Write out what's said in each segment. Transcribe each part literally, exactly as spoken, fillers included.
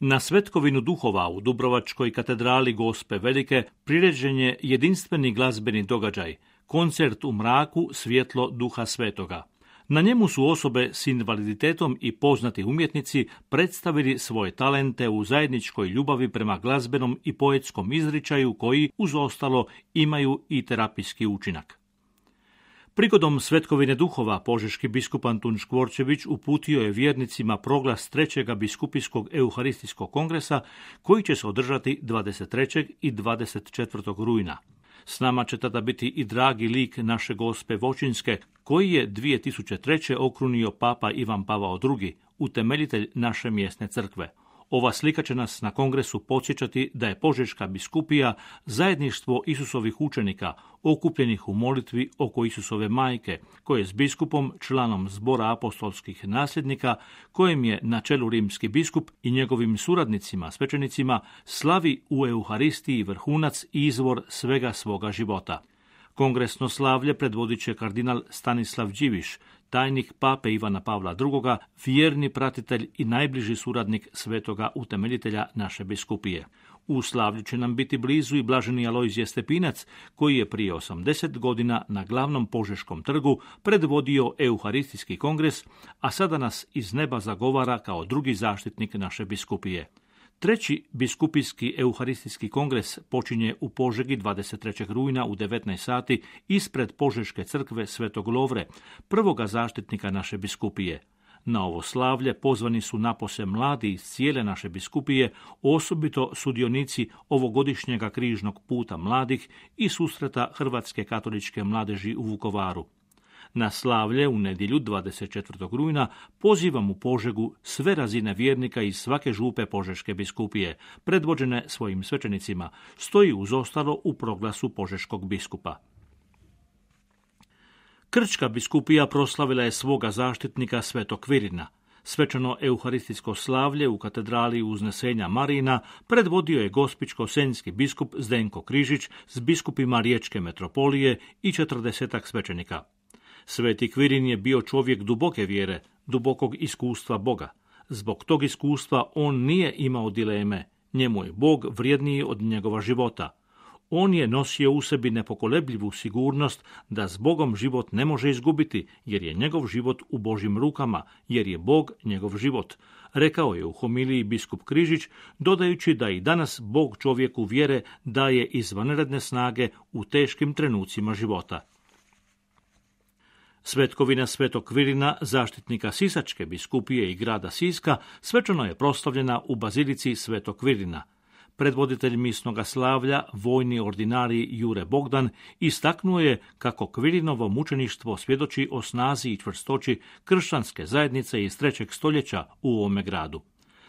Na Svetkovinu duhova u Dubrovačkoj katedrali Gospe Velike priređen je jedinstveni glazbeni događaj, koncert u mraku svjetlo Duha Svetoga. Na njemu su osobe s invaliditetom i poznati umjetnici predstavili svoje talente u zajedničkoj ljubavi prema glazbenom i poetskom izričaju koji, uz ostalo, imaju i terapijski učinak. Prigodom Svetkovine duhova požeški biskup Antun Škvorčević uputio je vjernicima proglas trećeg biskupijskog euharistijskog kongresa koji će se održati dvadeset trećeg i dvadeset četvrtog rujna. S nama će tada biti i dragi lik naše Gospe Voćinske, koji je dvije tisuće treće okrunio papa Ivan Pavao drugi, utemeljitelj naše mjesne crkve. Ova slika će nas na kongresu podsjećati da je Požeška biskupija zajedništvo Isusovih učenika, okupljenih u molitvi oko Isusove majke, koje s biskupom, članom zbora apostolskih nasljednika, kojem je na čelu rimski biskup i njegovim suradnicima, svećenicima, slavi u Euharistiji vrhunac i izvor svega svoga života. Kongresno slavlje predvodit će kardinal Stanislav Điviš, tajnik pape Ivana Pavla drugoga, vjerni pratitelj i najbliži suradnik svetoga utemeljitelja naše biskupije. U slavlju će nam biti blizu i blaženi Alojzije Stepinac, koji je prije osamdeset godina na glavnom Požeškom trgu predvodio Euharistijski kongres, a sada nas iz neba zagovara kao drugi zaštitnik naše biskupije. Treći biskupijski euharistijski kongres počinje u Požegi dvadeset trećeg rujna u devetnaest sati ispred Požeške crkve Svetog Lovre, prvoga zaštitnika naše biskupije. Na ovo slavlje pozvani su napose mladi iz cijele naše biskupije, osobito sudionici ovogodišnjega križnog puta mladih i susreta Hrvatske katoličke mladeži u Vukovaru. Na slavlje u nedjelju dvadeset četvrtog rujna pozivam u Požegu sve razine vjernika iz svake župe Požeške biskupije, predvođene svojim svećenicima, stoji uz ostalo u proglasu požeškog biskupa. Krčka biskupija proslavila je svoga zaštitnika Svetog Kvirina. Svečano euharistijsko slavlje u katedrali Uznesenja Marina predvodio je gospićko-senjski biskup Zdenko Križić s biskupima Riječke metropolije i četrdesetak svećenika. Sveti Kvirin je bio čovjek duboke vjere, dubokog iskustva Boga. Zbog tog iskustva on nije imao dileme, njemu je Bog vrijedniji od njegova života. On je nosio u sebi nepokolebljivu sigurnost da s Bogom život ne može izgubiti, jer je njegov život u Božjim rukama, jer je Bog njegov život, rekao je u homiliji biskup Križić, dodajući da i danas Bog čovjeku vjere daje izvanredne snage u teškim trenucima života. Svetkovina Svetog Kvirina, zaštitnika Sisačke biskupije i grada Siska, svečano je proslavljena u bazilici Svetog Kvirina. Predvoditelj misnoga slavlja, vojni ordinarij Jure Bogdan, istaknuo je kako Kvirinovo mučeništvo svjedoči o snazi i čvrstoći kršćanske zajednice iz trećeg stoljeća u ovome gradu.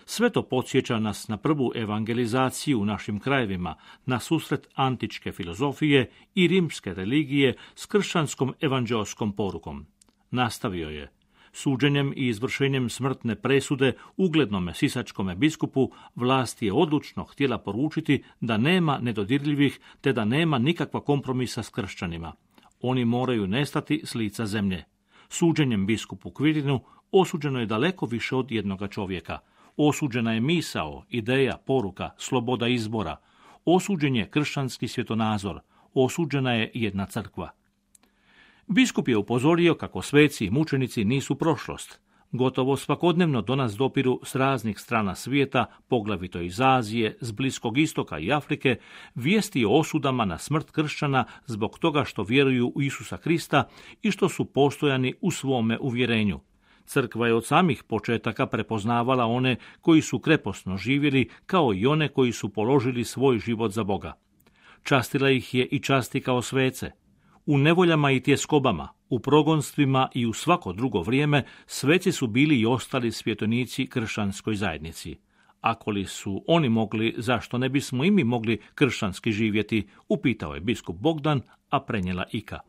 Sve to podsjeća nas na prvu evangelizaciju u našim krajevima, na susret antičke filozofije i rimske religije s kršćanskom evanđeoskom porukom. Nastavio je: suđenjem i izvršenjem smrtne presude uglednome sisačkome biskupu vlast je odlučno htjela poručiti da nema nedodirljivih te da nema nikakva kompromisa s kršćanima. Oni moraju nestati s lica zemlje. Suđenjem biskupu Kvirinu osuđeno je daleko više od jednoga čovjeka. Osuđena je misao, ideja, poruka, sloboda izbora. Osuđen je kršćanski svjetonazor. Osuđena je jedna crkva. Biskup je upozorio kako sveci i mučenici nisu prošlost. Gotovo svakodnevno do nas dopiru s raznih strana svijeta, poglavito iz Azije, s Bliskog istoka i Afrike, vijesti o osudama na smrt kršćana zbog toga što vjeruju u Isusa Krista i što su postojani u svome uvjerenju. Crkva je od samih početaka prepoznavala one koji su kreposno živjeli, kao i one koji su položili svoj život za Boga. Častila ih je i časti kao svece. U nevoljama i tjeskobama, u progonstvima i u svako drugo vrijeme sveci su bili i ostali svjetonici kršćanskoj zajednici. Ako li su oni mogli, zašto ne bismo i mi mogli kršćanski živjeti, upitao je biskup Bogdan, a prenijela Ika.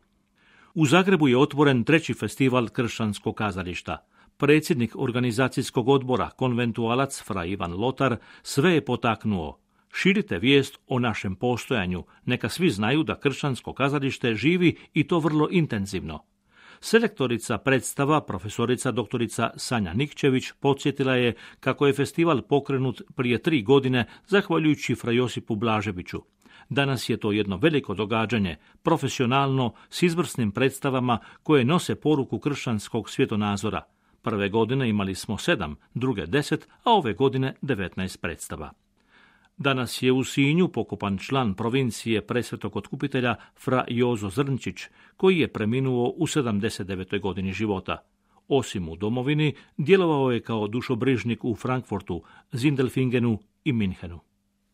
U Zagrebu je otvoren treći festival kršćanskog kazališta. Predsjednik organizacijskog odbora, konventualac fra Ivan Lotar, sve je potaknuo: širite vijest o našem postojanju, neka svi znaju da kršćansko kazalište živi i to vrlo intenzivno. Selektorica predstava, profesorica doktorica Sanja Nikčević, podsjetila je kako je festival pokrenut prije tri godine zahvaljujući fra Josipu Blaževiću. Danas je to jedno veliko događanje, profesionalno, s izvrsnim predstavama koje nose poruku kršćanskog svjetonazora. Prve godine imali smo sedam, druge deset, a ove godine devetnaest predstava. Danas je u Sinju pokopan član provincije Presvetog Otkupitelja fra Jozo Zrnčić, koji je preminuo u sedamdeset devetoj godini života. Osim u domovini, djelovao je kao dušobrižnik u Frankfurtu, Zindelfingenu i Minhenu.